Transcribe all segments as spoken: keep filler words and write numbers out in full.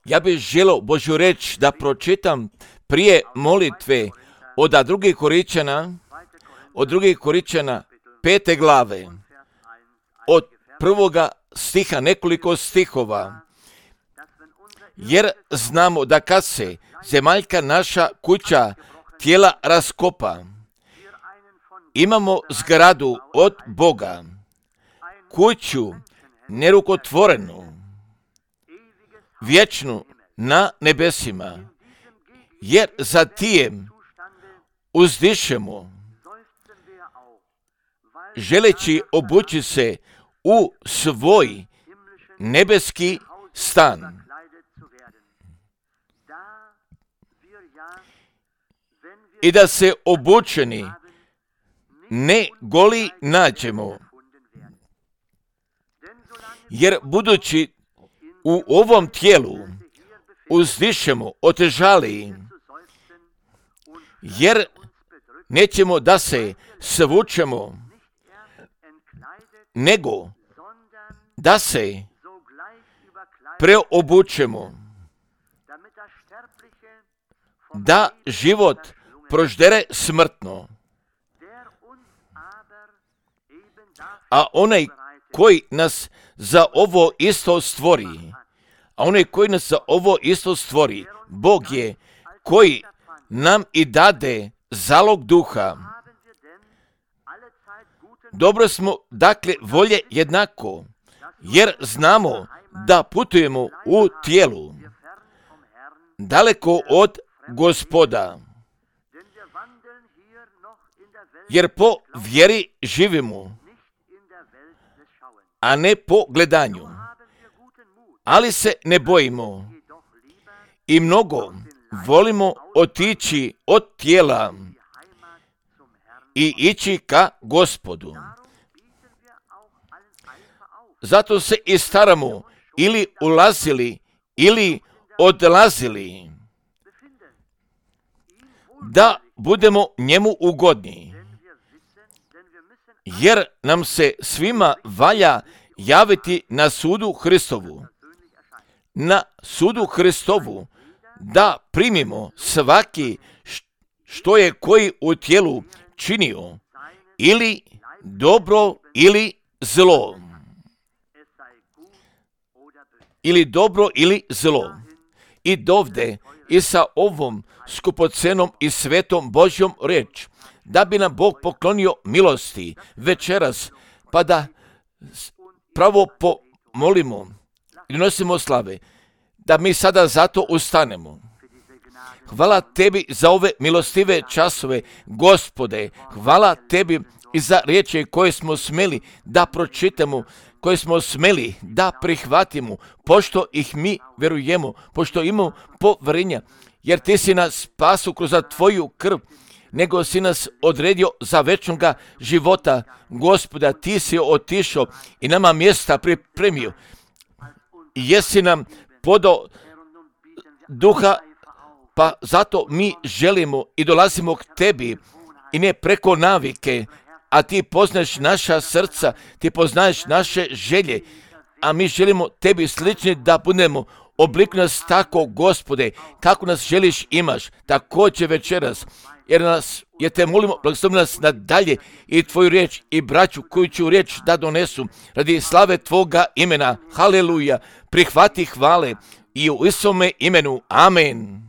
Ja bih želio Božju reč da pročitam prije molitve od drugih Korinćana, od drugih Korinćana pete glave, od prvoga stiha, nekoliko stihova, jer znamo da kad se zemaljka naša kuća tijela raskopa, imamo zgradu od Boga, kuću nerukotvorenu, vječnu na nebesima, jer za tijem uzdišemo, želeći obući se u svoj nebeski stan. I da se obučeni ne goli nađemo, jer budući u ovom tijelu uzdišemo otežali, jer nećemo da se svučemo, nego da se preobučemo, da život proždere smrtno, a onaj koji nas za ovo isto stvori, a onaj koji nas za ovo isto stvori, Bog je koji nam i dade zalog duha. Dobro smo, dakle, volje jednako, jer znamo da putujemo u tijelu, daleko od Gospoda, jer po vjeri živimo, a ne po gledanju. Ali se ne bojimo i mnogo volimo otići od tijela i ići ka Gospodu. Zato se i staramo ili ulazili ili odlazili, da budemo njemu ugodni, jer nam se svima valja javiti na sudu Hristovu, na sudu Hristovu, da primimo svaki što je koji u tijelu činio, ili dobro ili zlo. Ili dobro ili zlo. I dovde i sa ovom skupocenom i svetom Božjom reč, da bi nam Bog poklonio milosti večeras, pa da pravo pomolimo i nosimo slave, da mi sada zato ustanemo. Hvala tebi za ove milostive časove, Gospode. Hvala tebi i za riječi koje smo smeli da pročitamo, koje smo smeli da prihvatimo, pošto ih mi verujemo, pošto imamo povjerenja, jer ti si nas spasu kroz tvoju krv, nego si nas odredio za večnoga života. Gospoda, ti si otišao i nama mjesta pripremio. I jesi nam podao duha, pa zato mi želimo i dolazimo k tebi i ne preko navike, a ti poznaješ naša srca, ti poznaješ naše želje, a mi želimo tebi slični da budemo. Oblikuj nas tako, Gospode, kako nas želiš imaš, također večeras, jer nas, jer te molimo, blagoslovi nas nadalje i tvoju riječ i braću koju ću riječ da donesu radi slave tvoga imena. Haleluja, prihvati hvale i u Isome imenu. Amen.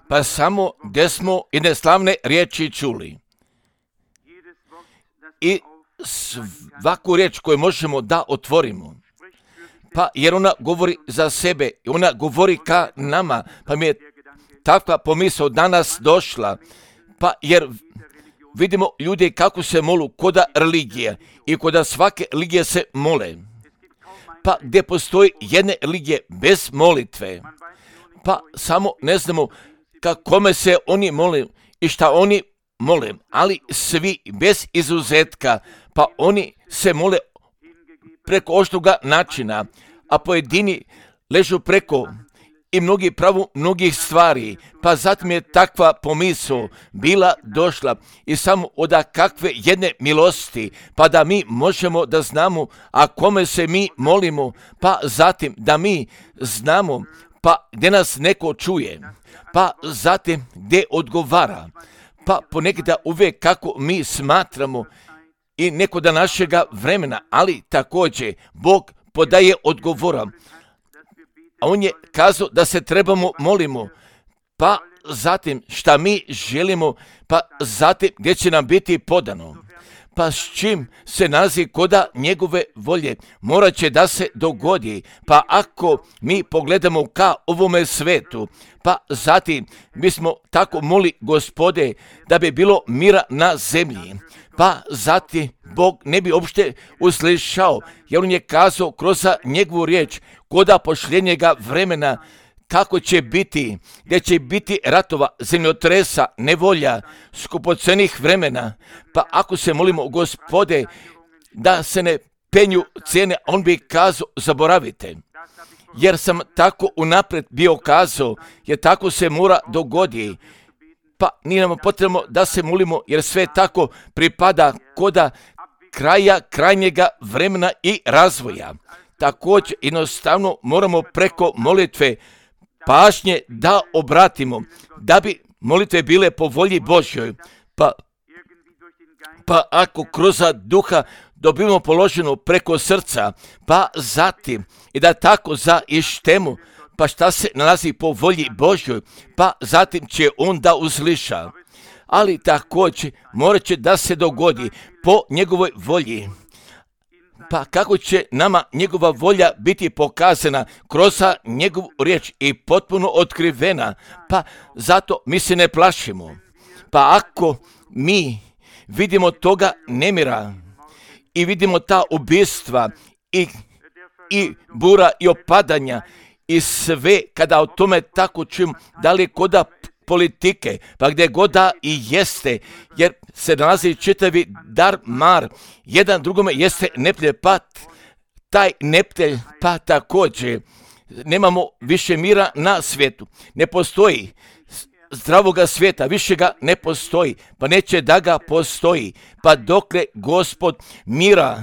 Pa samo gdje smo jedne slavne riječi čuli. I svaku riječ koju možemo da otvorimo. Pa jer ona govori za sebe i ona govori ka nama. Pa mi je takva pomisao danas došla. Pa jer vidimo ljudi kako se molu koda religije i koda svake religije se mole. Pa gdje postoji jedne religije bez molitve. Pa samo ne znamo ka kome se oni mole i šta oni mole, ali svi bez izuzetka, pa oni se mole preko oštroga načina, a pojedini ležu preko i mnogi pravu mnogih stvari, pa zatim je takva pomisao bila došla i samo od kakve jedne milosti, pa da mi možemo da znamo, a kome se mi molimo, pa zatim da mi znamo, pa gdje nas neko čuje, pa zatim gdje odgovara, pa ponekada uvijek kako mi smatramo i neko da našega vremena, ali također Bog podaje odgovora. A on je kazao da se trebamo molimo, pa zatim šta mi želimo, pa zatim gdje će nam biti podano. Pa s čim se nalazi koda njegove volje, morat će da se dogodi. Pa ako mi pogledamo ka ovome svetu, pa zatim mi smo tako moli Gospode da bi bilo mira na zemlji. Pa zatim Bog ne bi uopšte uslišao, jer on je kazao kroz njegovu riječ koda pošljenjega vremena kako će biti, gdje će biti ratova, zemljotresa, nevolja, skupocenih vremena. Pa ako se molimo Gospode da se ne penju cijene, on bi kazao zaboravite. Jer sam tako unaprijed bio kazao, jer tako se mora dogodi. Pa nije nam potrebno da se molimo, jer sve tako pripada koda kraja, krajnjega vremena i razvoja. Također jednostavno moramo preko molitve pažnje da obratimo, da bi molitve bile po volji Božjoj. Pa, pa ako kroz duha dobimo položeno preko srca, pa zatim i da tako za ištemu, pa šta se nalazi po volji Božjoj, pa zatim će on da usliša. Ali također morat će da se dogodi po njegovoj volji. Pa kako će nama njegova volja biti pokazana kroz njegovu riječ i potpuno otkrivena, pa zato mi se ne plašimo. Pa ako mi vidimo toga nemira i vidimo ta ubistva i, i bura i opadanja i sve, kada o tome tako čujem, da li koda politike, pa gdje god da i jeste, jer se nalazi čitavi dar mar, jedan drugome jeste neptelj, pa taj neptelj, pa također nemamo više mira na svijetu, ne postoji zdravoga svijeta, više ga ne postoji, pa neće da ga postoji, pa dokle Gospod mira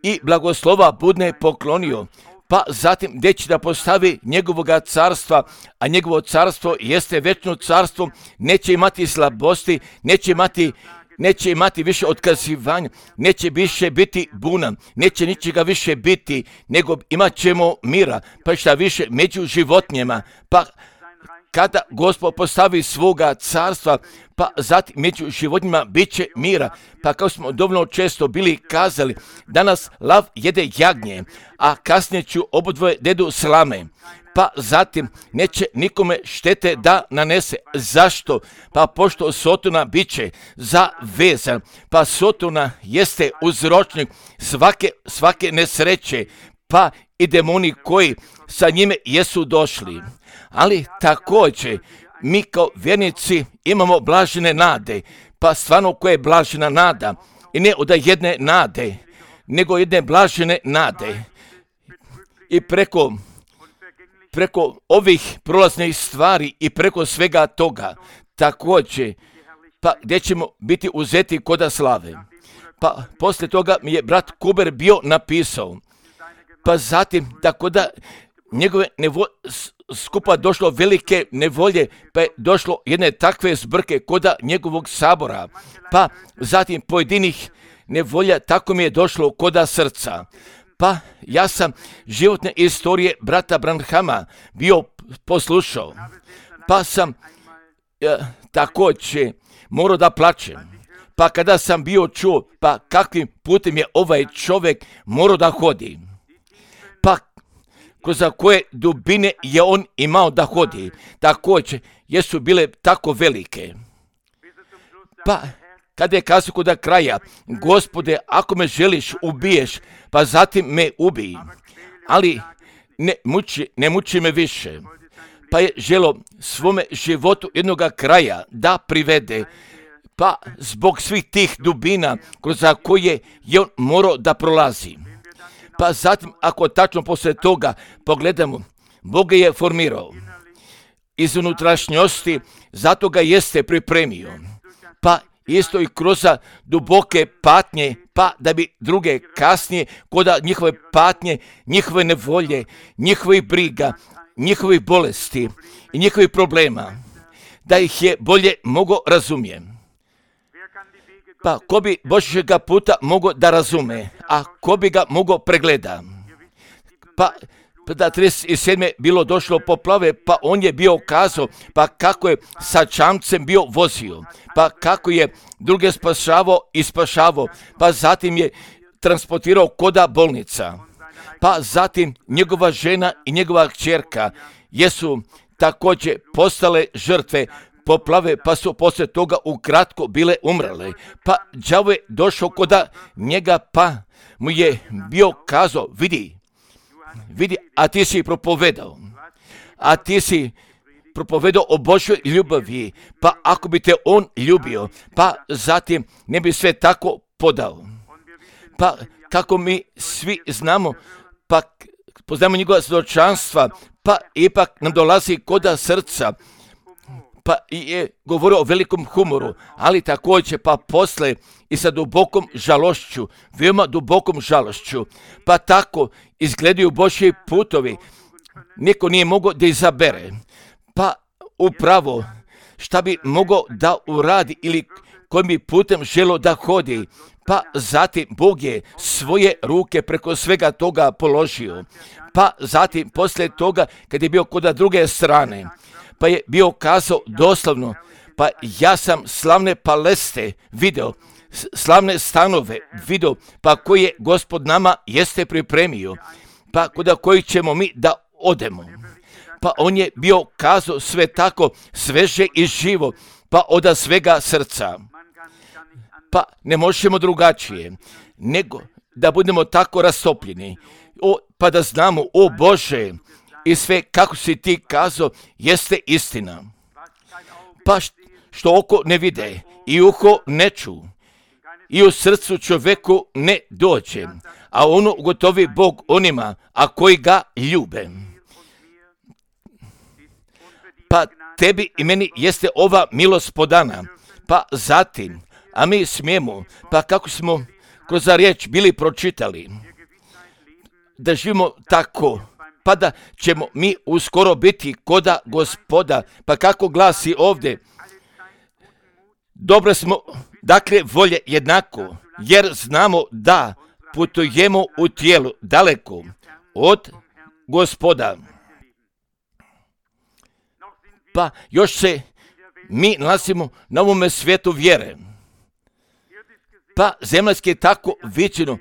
i blagoslova budne poklonio, pa zatim gdje će da postavi njegovoga carstva, a njegovo carstvo jeste večno carstvo, neće imati slabosti, neće imati, neće imati više otkazivanja, neće više biti buna, neće ničega više biti, nego imat ćemo mira, pa šta više među životinjama, pa kada Gospod postavi svoga carstva, pa zatim među životinjama bit će mira. Pa kao smo dovoljno često bili kazali, danas lav jede jagnje, a kasnije ću obodvoje dedu slame. Pa zatim neće nikome štete da nanese. Zašto? Pa pošto Sotona bit će zavezan, pa Sotona jeste uzročnik svake, svake nesreće, pa i demoni koji sa njime jesu došli. Ali također mi kao vjernici imamo blažene nade, pa stvarno koja je blažena nada, i ne od jedne nade, nego jedne blažene nade. I preko, preko ovih prolaznih stvari i preko svega toga, također, pa gdje ćemo biti uzeti koda slave. Pa poslije toga mi je brat Kuber bio napisao, pa zatim tako da njegove nevo, skupa došlo velike nevolje, pa je došlo jedne takve zbrke koda njegovog sabora, pa zatim pojedinih nevolja, tako mi je došlo koda srca. Pa ja sam životne istorije brata Branhama bio poslušao, pa sam e, također morao da plačem. Pa kada sam bio čuo, pa kakvim putem je ovaj čovjek morao da hodi, pa kroz koje dubine je on imao da hodi, također jesu bile tako velike. Pa kada je kazao kod kraja, Gospode, ako me želiš ubiješ, pa zatim me ubij, ali ne muči, ne muči me više. Pa je želo svome životu jednoga kraja da privede, pa zbog svih tih dubina kroz koje je on morao da prolazi. Pa zatim, ako tačno poslije toga pogledamo, Bog ga je formirao iz unutrašnjosti, zato ga jeste pripremio. Pa isto i kroz duboke patnje, pa da bi druge kasnije, koda njihove patnje, njihove nevolje, njihovih briga, njihovih bolesti i njihovih problema, da ih je bolje mogo razumijem. Pa ko bi Božjega puta mogo da razume, a ko bi ga mogo pregleda? Pa da trideset sedme bilo došlo poplave, pa on je bio kazao, pa kako je sa čamcem bio vozio, pa kako je druge spašavao i spašavao, pa zatim je transportirao koda bolnica, pa zatim njegova žena i njegova kćerka jesu također postale žrtve poplave, pa su poslije toga ukratko bile umrle. Pa đavo je došao koda njega, pa mu je bio kazao, vidi, vidi, a ti si propovedao, a ti si propovedao o Božoj ljubavi, pa ako bi te on ljubio, pa zatim ne bi sve tako podao. Pa kako mi svi znamo, pa poznamo njegova svjedočanstva, pa ipak nam dolazi koda srca, pa je govorio o velikom humoru, ali također pa posle i sa dubokom žalošću, veoma dubokom žalošću, pa tako izgledaju Božji putovi. Niko nije mogao da izabere, pa upravo šta bi mogao da uradi ili kojim bi putem želo da hodi, pa zatim Bog je svoje ruke preko svega toga položio, pa zatim poslije toga kad je bio kod druge strane, pa je bio kazao doslovno, pa ja sam slavne paleste video, slavne stanove video, pa koje je Gospod nama jeste pripremio, pa kod kojih ćemo mi da odemo. Pa on je bio kazao sve tako sveže i živo, pa od svega srca. Pa ne možemo drugačije, nego da budemo tako rastopljeni, o, pa da znamo, o Bože, i sve kako si ti kazao jeste istina. Pa što oko ne vide i uho ne ču i u srcu čovjeku ne dođe, a ono ugotovi Bog onima, a koji ga ljube. Pa tebi i meni jeste ova milost podana, pa zatim, a mi smijemo, pa kako smo kroz riječ bili pročitali, da živimo tako, pa da ćemo mi uskoro biti koda Gospoda, pa kako glasi ovdje, dobro smo, dakle, volje jednako, jer znamo da putujemo u tijelu daleko od Gospoda. Pa još se mi nalazimo na ovome svijetu vjere. Pa zemaljski je tako viđeno,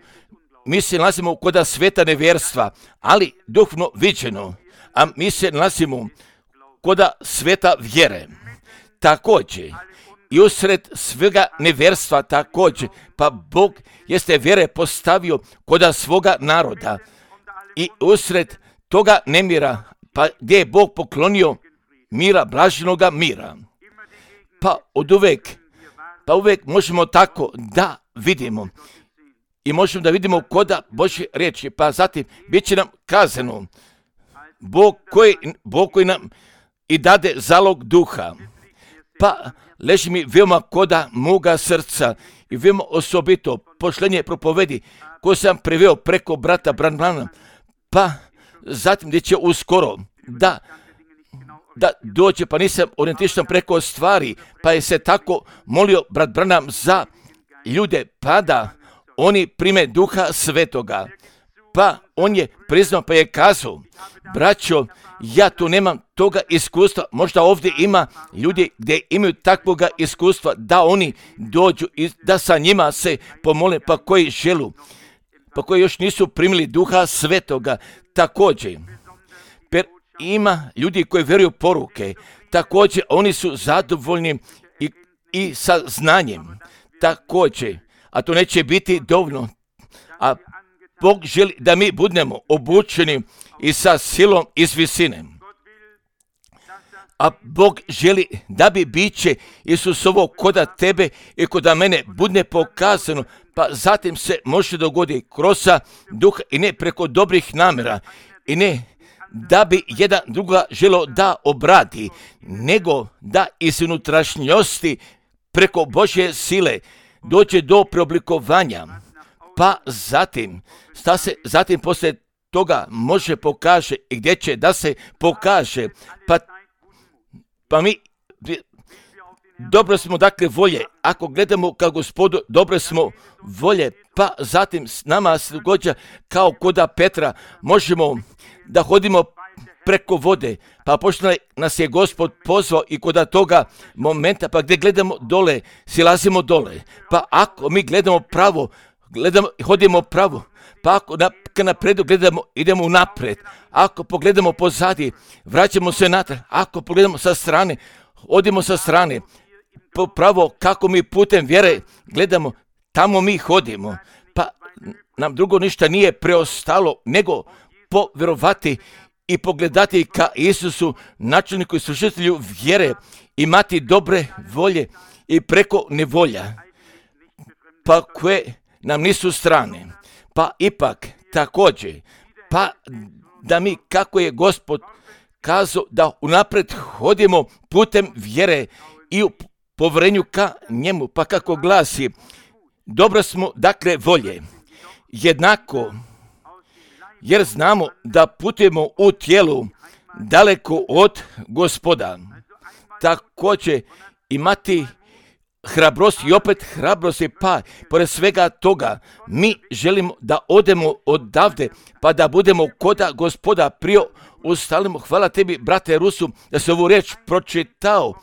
mi se nalazimo kod sveta nevjerstva, ali duhovno viđeno, a mi se nalazimo kod sveta vjere. Također, i usred svega nevjerstva također, pa Bog jeste vjere postavio kod svoga naroda. I usred toga nemira, pa gdje je Bog poklonio mira, blaženoga mira. Pa od uvek, pa uvek možemo tako da vidimo. I možemo da vidimo koda Božje riječi, pa zatim bit će nam kazano, Bog koji, Bog koji nam i dade zalog duha, pa leži mi veoma koda moga srca i veoma osobito pošlenje propovedi koje sam preveo preko brata Branhama, pa zatim gdje će uskoro da, da dođe, pa nisam orijentišan preko stvari, pa je se tako molio brat Branham za ljude, pa da oni prime duha svetoga. Pa on je priznao, pa je kazao, braćo, ja tu nemam toga iskustva, možda ovdje ima ljudi gdje imaju takvoga iskustva, da oni dođu i da sa njima se pomole, pa koji želu, pa koji još nisu primili duha svetoga. Također, per ima ljudi koji vjeruju poruke, također oni su zadovoljni i, i sa znanjem, također, a to neće biti dovoljno, a Bog želi da mi budemo obučeni i sa silom iz visine. A Bog želi da bi biće Isusovo koda tebe i koda mene budne pokazano, pa zatim se može dogoditi kroz duha i ne preko dobrih namjera i ne da bi jedan druga želo da obrati, nego da iz unutrašnjosti preko Božje sile dođe do preoblikovanja. Pa zatim, šta se zatim poslije toga može pokaže i gdje će da se pokaže. Pa, pa mi dobro smo dakle volje. Ako gledamo kao Gospodu, dobro smo volje. Pa zatim s nama se događa kao koda Petra. Možemo da hodimo preko vode. Pa pošto nas je Gospod pozvao i koda toga momenta, pa gdje gledamo dole, silazimo dole. Pa ako mi gledamo pravo, gledamo, hodimo pravo. Pa ako na, napredu gledamo, idemo naprijed. Ako pogledamo pozadi, vraćamo se natrag. Ako pogledamo sa strane, odimo sa strane. Pravo kako mi putem vjere gledamo, tamo mi hodimo. Pa nam drugo ništa nije preostalo nego povjerovati i pogledati ka Isusu, načelniku i služitelju vjere, imati dobre volje i preko nevolja, pa koje nam nisu strane. Pa ipak također, pa da mi kako je Gospod kazao da unaprijed hodimo putem vjere i u povjerenju ka njemu, pa kako glasi, dobro smo dakle volje, jednako, jer znamo da putujemo u tijelu daleko od Gospoda. Također imati hrabrost i opet hrabrosti, pa pored svega toga mi želimo da odemo odavde, pa da budemo koda Gospoda prije ustalimo. Hvala tebi, brate Rusu, da se ovu riječ pročitao.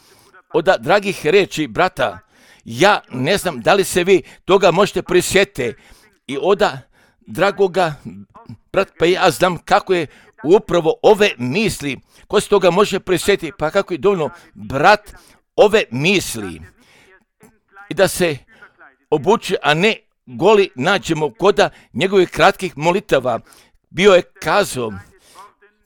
Od dragih riječi, brata, ja ne znam da li se vi toga možete prisjetiti. I oda dragoga, brat, pa ja znam kako je upravo ove misli, ko se toga može prisjetiti, pa kako je dovoljno, brat, ove misli. I da se obuči, a ne goli nađemo koda njegovih kratkih molitava. Bio je kazao,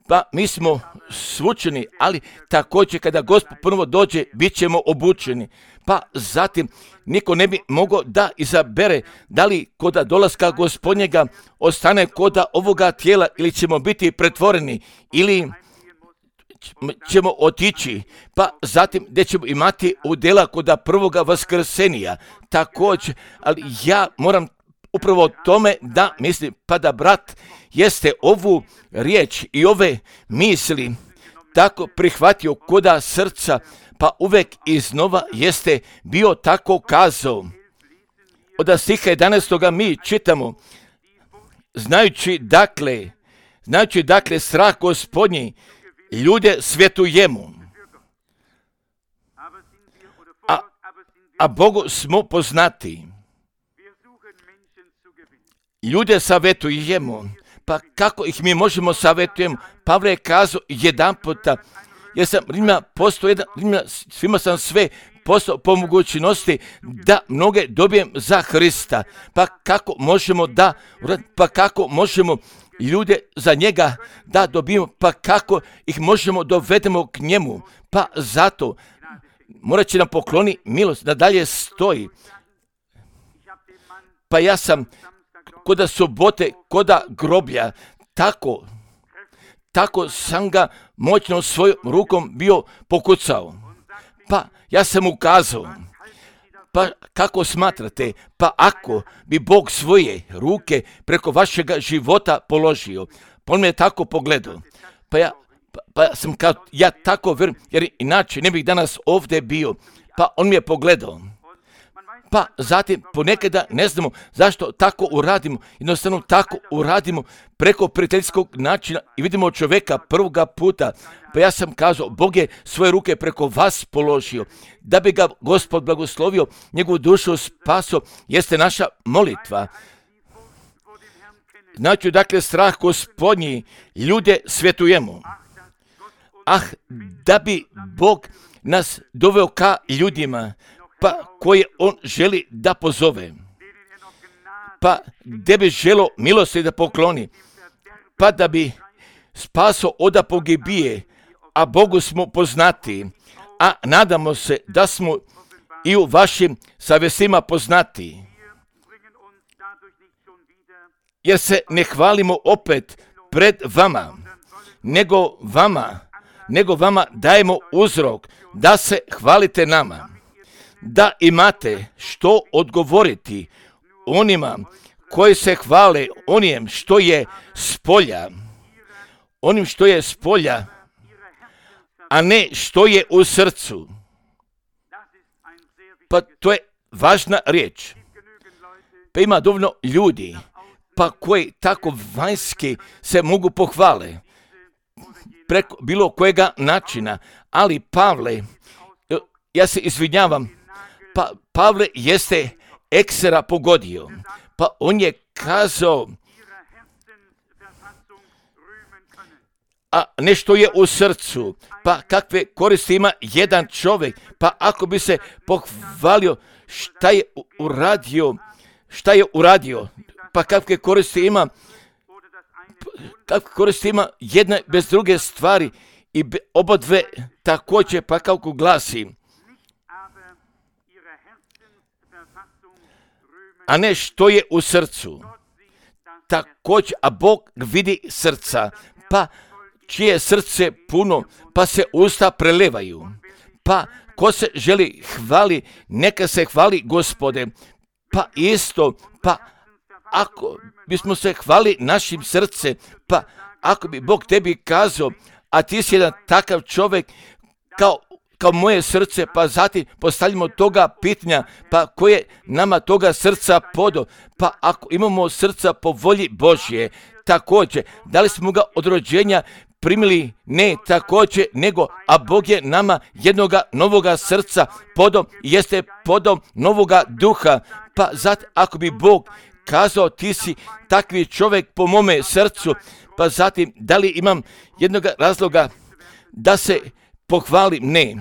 pa mi smo svučeni, ali također kada Gospod ponovo dođe, bit ćemo obučeni. Pa zatim niko ne bi mogao da izabere da li koda dolaska Gospodnjega ostane koda ovoga tijela ili ćemo biti pretvoreni ili ćemo otići, pa zatim gdje ćemo imati udjela koda prvoga vaskrsenija. Također, ali ja moram upravo o tome da mislim, pa da brat jeste ovu riječ i ove misli tako prihvatio koda srca, pa uvek iznova jeste bio tako kazao. Od stiha jedanaestoga mi čitamo, znajući dakle, znajući dakle strah Gospodnji, ljude svjetujemo, a, a Bogu smo poznati. Ljude savjetujemo, pa kako ih mi možemo savjetujemo? Pavle je kazao jedan puta, jer sam Rimlja postao jedan, Rimlja, svima sam sve postao po mogućnosti da mnoge dobijem za Hrista. Pa kako možemo da, pa kako možemo ljude za njega da dobijemo, pa kako ih možemo dovedemo k njemu? Pa zato morat će nam pokloni milost da dalje stoji. Pa ja sam koda subote, koda groblja, tako, tako sam ga moćno svojom rukom bio pokucao. Pa ja sam ukazao, pa kako smatrate, pa ako bi Bog svoje ruke preko vašega života položio, pa on me je tako pogledao, pa ja, pa, pa sam kao, ja tako vjerujem, jer inače ne bih danas ovdje bio, pa on mi je pogledao. Pa zatim ponekada ne znamo zašto tako uradimo, jednostavno tako uradimo preko prijateljskog načina i vidimo čovjeka prvoga puta. Pa ja sam kazao, Bog je svoje ruke preko vas položio, da bi ga Gospod blagoslovio, njegovu dušu spaso, jeste naša molitva. Znači, dakle, strah Gospodnji, ljude svjetujemo. Ah, da bi Bog nas doveo ka ljudima, pa koje on želi da pozove, pa gdje bi želo milosti da pokloni, pa da bi spaso oda pogibije, a Bogu smo poznati, a nadamo se da smo i u vašim savjestima poznati. Jer se ne hvalimo opet pred vama, nego vama, nego vama dajemo uzrok da se hvalite nama, da imate što odgovoriti onima koji se hvale onim što je spolja, onim što je spolja, a ne što je u srcu. Pa to je važna riječ. Pa ima dovoljno ljudi, pa koji tako vanjski se mogu pohvale preko bilo kojega načina, ali Pavle, ja se izvinjavam, pa Pavle jeste eksera pogodio, pa on je kazao, a nešto je u srcu, pa kakve koristi ima jedan čovjek, pa ako bi se pohvalio šta je uradio, šta je uradio, pa kakve koristi ima, kakve koristi ima jedna bez druge stvari i oba dve također, pa kako glasi, a ne što je u srcu. Također, a Bog vidi srca, pa čije srce puno, pa se usta prelevaju. Pa ko se želi hvali, neka se hvali Gospode. Pa isto, pa ako bismo se hvali našim srce, pa ako bi Bog tebi kazao, a ti si jedan takav čovjek kao, kao moje srce, pa zatim postavljamo toga pitanja, pa koje nama toga srca podo, pa ako imamo srca po volji Božje, također, da li smo ga od rođenja primili? Ne, također, nego, a Bog je nama jednoga novoga srca podom, jeste podom novoga duha, pa zatim ako bi Bog kazao ti si takvi čovjek po mome srcu, pa zatim da li imam jednog razloga da se pohvalim? Ne.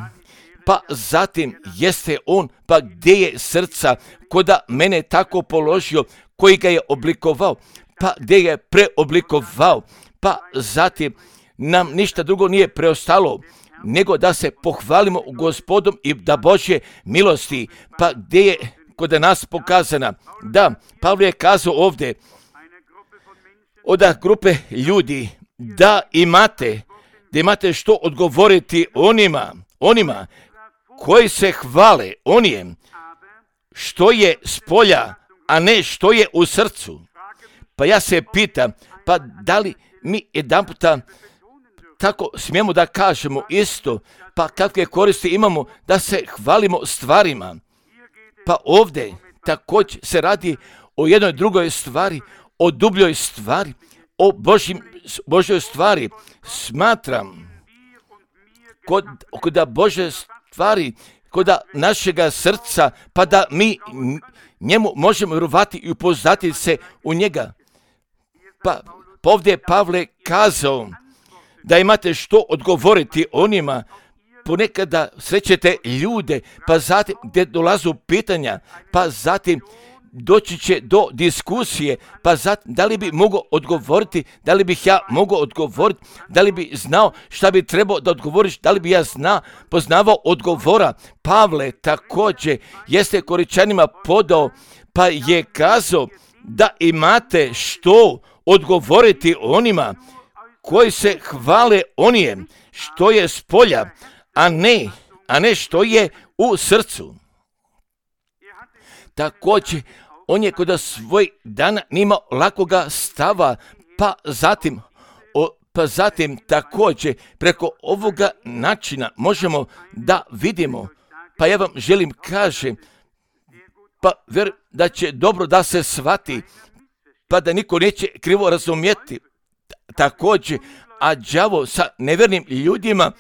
Pa zatim jeste on, pa gdje je srca koda mene tako položio, koji ga je oblikovao, pa gdje je preoblikovao, pa zatim nam ništa drugo nije preostalo nego da se pohvalimo Gospodom i da Božje milosti, pa gdje je kod nas pokazana. Da, Pavle je kazao ovdje od grupe ljudi da imate, da imate što odgovoriti onima, onima koji se hvale onijem što je spolja, a ne što je u srcu. Pa ja se pitam, pa da li mi jedan puta tako smijemo da kažemo isto, pa kakve koristi imamo da se hvalimo stvarima. Pa ovdje također se radi o jednoj drugoj stvari, o dubljoj stvari, o Božjim, Božjoj stvari. Smatram kod, kod Božje stvari, kod našega srca, pa da mi njemu možemo vjerovati i upoznati se u njega. Pa ovdje je Pavle kazao da imate što odgovoriti onima, ponekada srećete ljude, pa zatim gdje dolazu pitanja, pa zatim doći će do diskusije, pa zatim da li bi mogao odgovoriti, da li bih ja mogao odgovoriti, da li bi znao šta bi trebao da odgovoriš, da li bi ja zna, poznavao odgovora. Pavle također jeste Koričanima podao, pa je kazao da imate što odgovoriti onima koji se hvale onijem što je spolja, a ne, a ne što je u srcu. Također, on je kod svoj dana nimao lakoga stava, pa zatim, o, pa zatim također preko ovoga načina možemo da vidimo, pa ja vam želim kažem, pa vjerujem da će dobro da se shvati, pa da niko neće krivo razumjeti. Također, a đavo sa nevjernim ljudima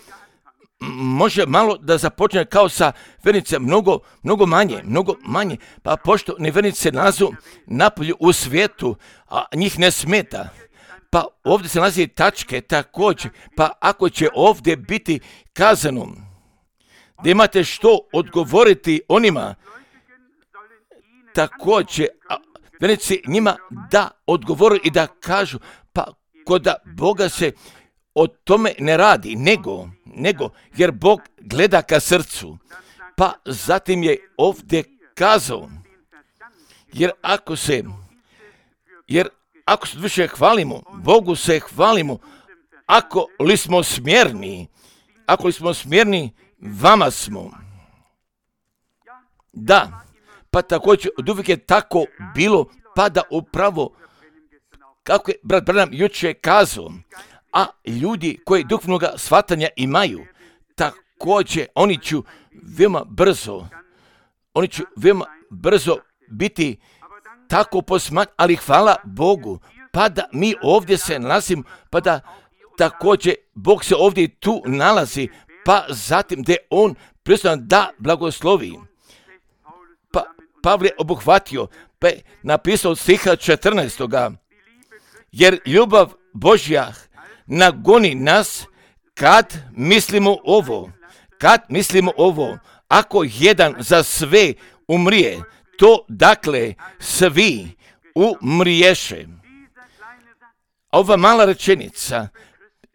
može malo da započne kao sa vjernice, mnogo, mnogo manje, mnogo manje, pa pošto nevjernice nazu napolju u svijetu, a njih ne smeta, pa ovdje se nalazi tačke također, pa ako će ovdje biti kazano da imate što odgovoriti onima, također, a vjernici njima da odgovoru i da kažu, pa kod Boga se o tome ne radi, nego, nego, jer Bog gleda ka srcu. Pa zatim je ovdje kazao, jer ako se, jer ako se više hvalimo, Bogu se hvalimo ako li smo smjerni, ako li smo smjerni, vama smo. Da, pa također od uvijek je tako bilo, pa da upravo, kako je brat Branham jučer kazao, a ljudi koji duhovnoga shvatanja imaju, također oni će veoma brzo, oni će veoma brzo biti tako posmat, ali hvala Bogu, pa da mi ovdje se nalazimo, pa da također Bog se ovdje i tu nalazi, pa zatim da on prisutan da blagoslovi. Pa Pavle je obuhvatio, pa je napisao od stiha četrnaestoga. Jer ljubav Božja nagoni nas kad mislimo ovo, kad mislimo ovo, ako jedan za sve umrije, to dakle svi umriješe. Ova mala rečenica,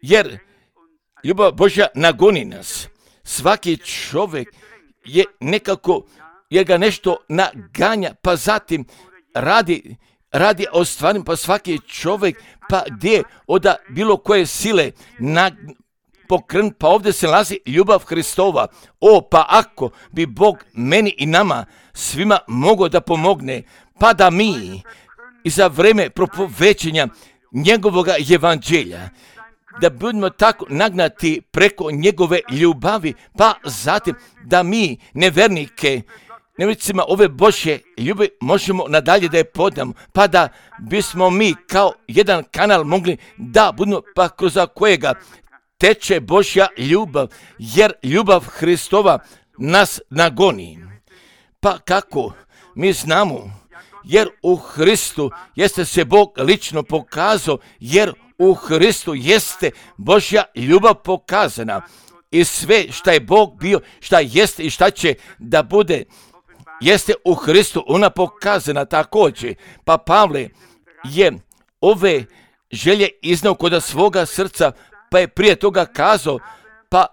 jer ljubav Božja nagoni nas, svaki čovjek je nekako, jer ga nešto naganja, pa zatim radi, radi o stvarima, pa svaki čovjek, pa gdje od bilo koje sile na, pokren, pa ovdje se nalazi ljubav Hristova. O, pa ako bi Bog meni i nama svima mogao da pomogne, pa da mi i za vreme propovećenja njegovoga evanđelja, da budemo tako nagnati preko njegove ljubavi, pa zatim da mi nevernike, nevjernicima ove Božje ljubavi možemo nadalje da je podamo, pa da bismo mi kao jedan kanal mogli da budemo, pa kroz kojega teče Božja ljubav, jer ljubav Hristova nas nagoni. Pa kako? Mi znamo, jer u Hristu jeste se Bog lično pokazao, jer u Hristu jeste Božja ljubav pokazana. I sve šta je Bog bio, šta jeste i šta će da bude, jeste u Hristu ona pokazana također. Pa Pavle je ove želje iznao kod svoga srca, pa je prije toga kazao, pa,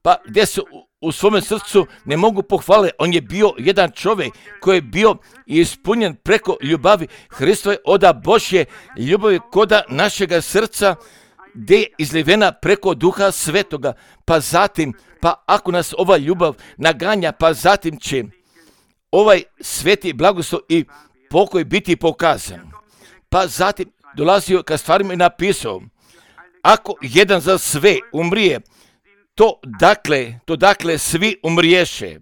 pa gdje su u svome srcu ne mogu pohvaliti. On je bio jedan čovjek koji je bio ispunjen preko ljubavi Hristove oda Božje ljubavi koda našega srca, gdje je izlivena preko Duha Svetoga. Pa zatim, pa ako nas ova ljubav naganja, pa zatim će ovaj sveti blagoslov i pokoj biti pokazan. Pa zatim dolazio ka stvarima i napisao, ako jedan za sve umrije, to dakle, to dakle svi umriješe.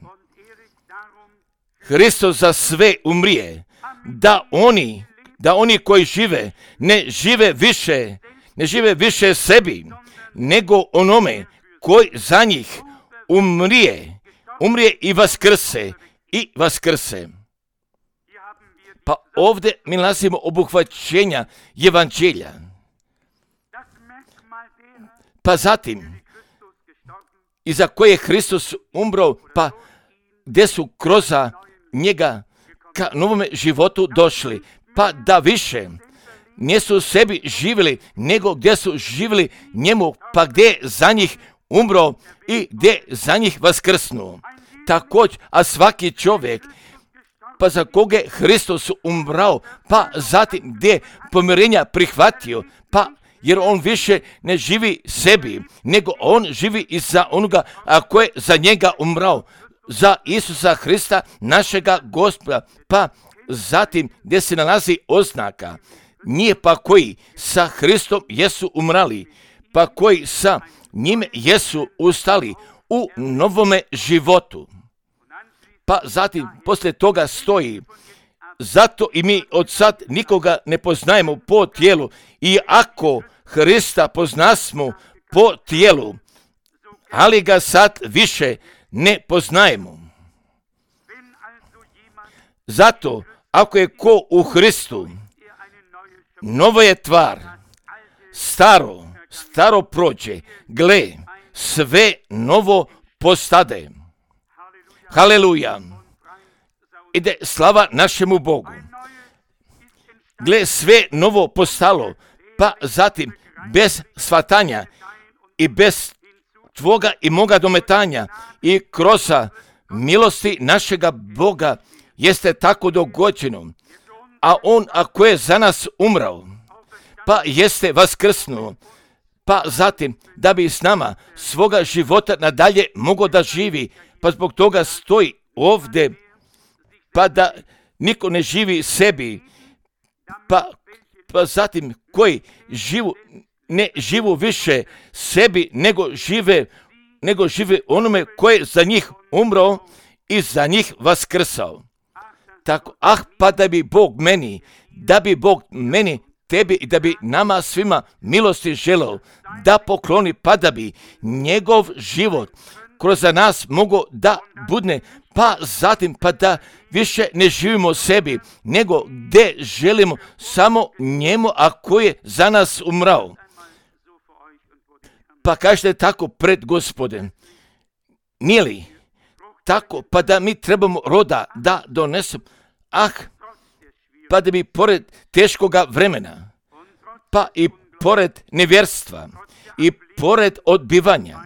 Hristos za sve umrije, da oni, da oni koji žive, ne žive više, ne žive više sebi, nego onome koji za njih umrije, umrije i vaskrse, i vaskrse. Pa ovdje mi nalazimo obuhvaćenja evanđelja. Pa zatim, i za koje je Hristos umro, pa gdje su kroz njega ka novome životu došli, pa da više nisu sebi živjeli, nego gdje su živjeli njemu, pa gdje je za njih umro i gdje za njih vaskrsnuo. Također, a svaki čovjek, pa za koga je Hristos umrao, pa zatim gdje pomirenja prihvatio, pa jer on više ne živi sebi, nego on živi i za onoga a ko je za njega umrao, za Isusa Hrista, našega Gospoda. Pa zatim gdje se nalazi oznaka, nije pa koji sa Hristom jesu umrali, pa koji sa njime jesu ustali u novome životu. Pa zatim poslije toga stoji, zato i mi od sad nikoga ne poznajemo po tijelu, i ako Hrista poznasmo po tijelu, ali ga sad više ne poznajemo. Zato, ako je ko u Hristu, novo je tvar, staro, staro prođe, gle, sve novo postade. Haleluja. Ide slava našemu Bogu. Gle, sve novo postalo, pa zatim bez shvatanja i bez tvoga i moga dometanja i kroz milosti našega Boga jeste tako dogođeno. A on ako je za nas umrao, pa pa jeste vaskrsnuo, pa zatim da bi s nama svoga života nadalje mogao da živi, pa zbog toga stoji ovdje, pa da niko ne živi sebi, pa, pa zatim koji živu, ne živu više sebi, nego žive, nego žive onome koji je za njih umro i za njih vaskrsao. Tako, ah, pa da bi Bog meni, da bi Bog meni, tebi i da bi nama svima milosti želeo da pokloni, pa da bi njegov život kroz nas mogao da budne, pa zatim pa da više ne živimo sebi, nego gdje želimo samo njemu, a koji je za nas umrao. Pa kažete tako pred Gospodem, nije li tako, pa da mi trebamo roda da donesemo, ah, pa da bi pored teškoga vremena, pa i pored nevjerstva, i pored odbivanja,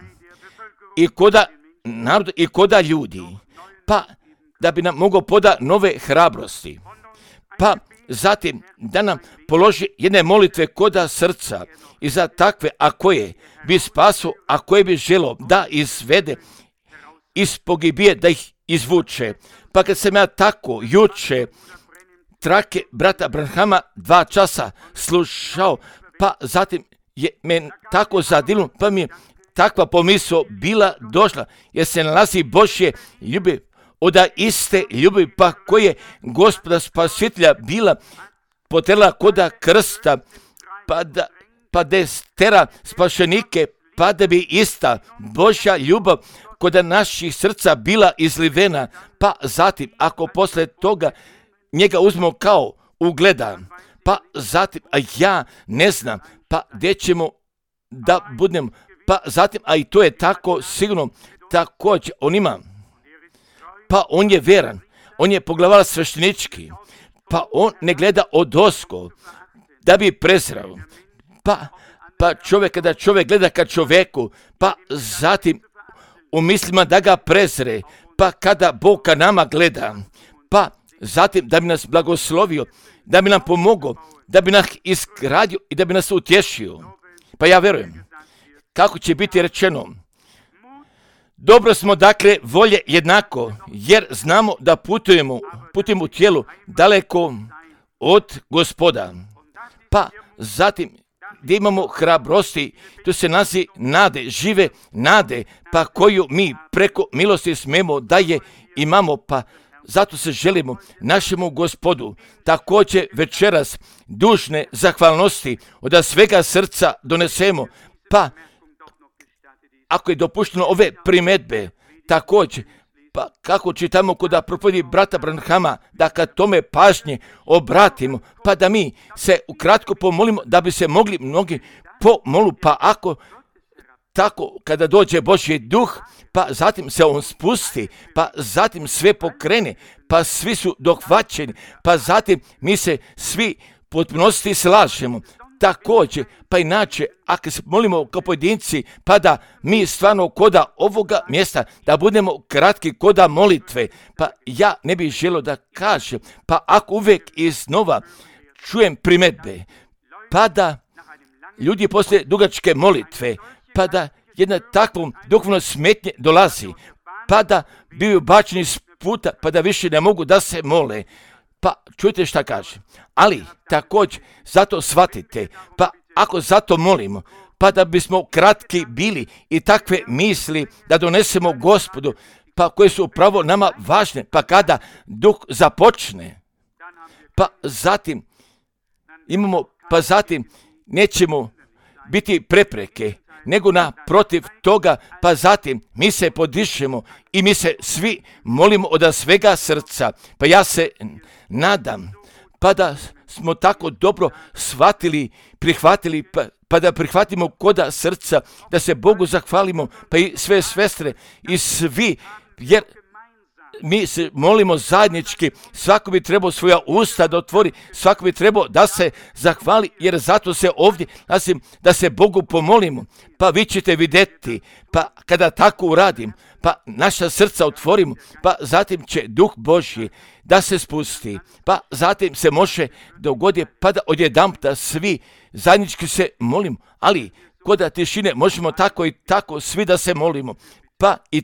i koda naroda, i koda ljudi, pa da bi nam mogao poda nove hrabrosti, pa zatim da nam položi jedne molitve koda srca i za takve, a koje bi spaso, a koje bi želo da izvede iz pogibije, da ih izvuče. Pa kad sam ja tako juče trake brata Branhama dva časa slušao, pa zatim je me tako zadivilo, pa mi je takva pomisao bila došla, jer se nalazi Božje ljubav, od iste ljubavi, pa koje Gospoda Spasitelja bila potrela koda krsta, pa da, pa da stera spašenike, pa da bi ista Božja ljubav koda naših srca bila izlivena, pa zatim ako posle toga njega uzmemo kao ugleda, pa zatim, a ja ne znam, pa gdje ćemo da budemo, pa zatim, a i to je tako sigurno, također on ima, pa on je veran, on je poglavar sveštenički, pa on ne gleda odosko da bi prezrao, pa, pa čovjek kada čovjek gleda ka čovjeku, pa zatim u mislima da ga prezre, pa kada Bog ka nama gleda, pa zatim da bi nas blagoslovio, da bi nam pomogao, da bi nas izgradio i da bi nas utješio. Pa ja verujem, kako će biti rečeno, dobro smo dakle volje jednako, jer znamo da putujemo, putujemo u tijelu daleko od Gospoda. Pa zatim gdje imamo hrabrosti, tu se nazi nade, žive nade, pa koju mi preko milosti smemo da je imamo, pa zato se želimo našemu Gospodu također večeras dužne zahvalnosti od svega srca donesemo, pa ako je dopušteno ove primjedbe, također, pa kako čitamo kod propovjedi brata Branhama, da kad tome pažnje obratimo, pa da mi se ukratko pomolimo, da bi se mogli mnogi pomolu, pa ako tako kada dođe Božji duh, pa zatim se on spusti, pa zatim sve pokrene, pa svi su dohvaćeni, pa zatim mi se svi potpunosti slažemo. Također, pa inače, ako se molimo kao pojedinci, pa da mi stvarno koda ovoga mjesta, da budemo kratki koda molitve, pa ja ne bih želio da kažem, pa ako uvijek iznova čujem primjedbe, pa da ljudi poslije dugačke molitve, pa da jedna takvom duhovno smetnje dolazi, pa da biju bačeni s puta, pa da više ne mogu da se mole. Pa čujte šta kaže, ali također zato shvatite, pa ako zato molimo, pa da bismo kratki bili i takve misli da donesemo Gospodu, pa koje su upravo nama važne, pa kada duh započne, pa zatim imamo, pa zatim nećemo biti prepreke, nego naprotiv toga, pa zatim mi se podišemo i mi se svi molimo od svega srca. Pa ja se nadam, pa da smo tako dobro shvatili, prihvatili, pa, pa da prihvatimo koda srca, da se Bogu zahvalimo, pa i sve sestre i svi, jer mi se molimo zajednički, svako bi trebao svoja usta da otvori, svako bi trebao da se zahvali, jer zato se ovdje, nasim, da se Bogu pomolimo, pa vi ćete vidjeti, pa kada tako uradim, pa naša srca otvorimo, pa zatim će Duh Božji da se spusti, pa zatim se može dogoditi, pa da odjedanputa svi zajednički se molimo, ali kod tišine možemo tako i tako svi da se molimo, pa i,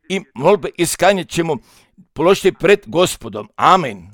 i molbe iskanje ćemo položiti pred Gospodom. Amen.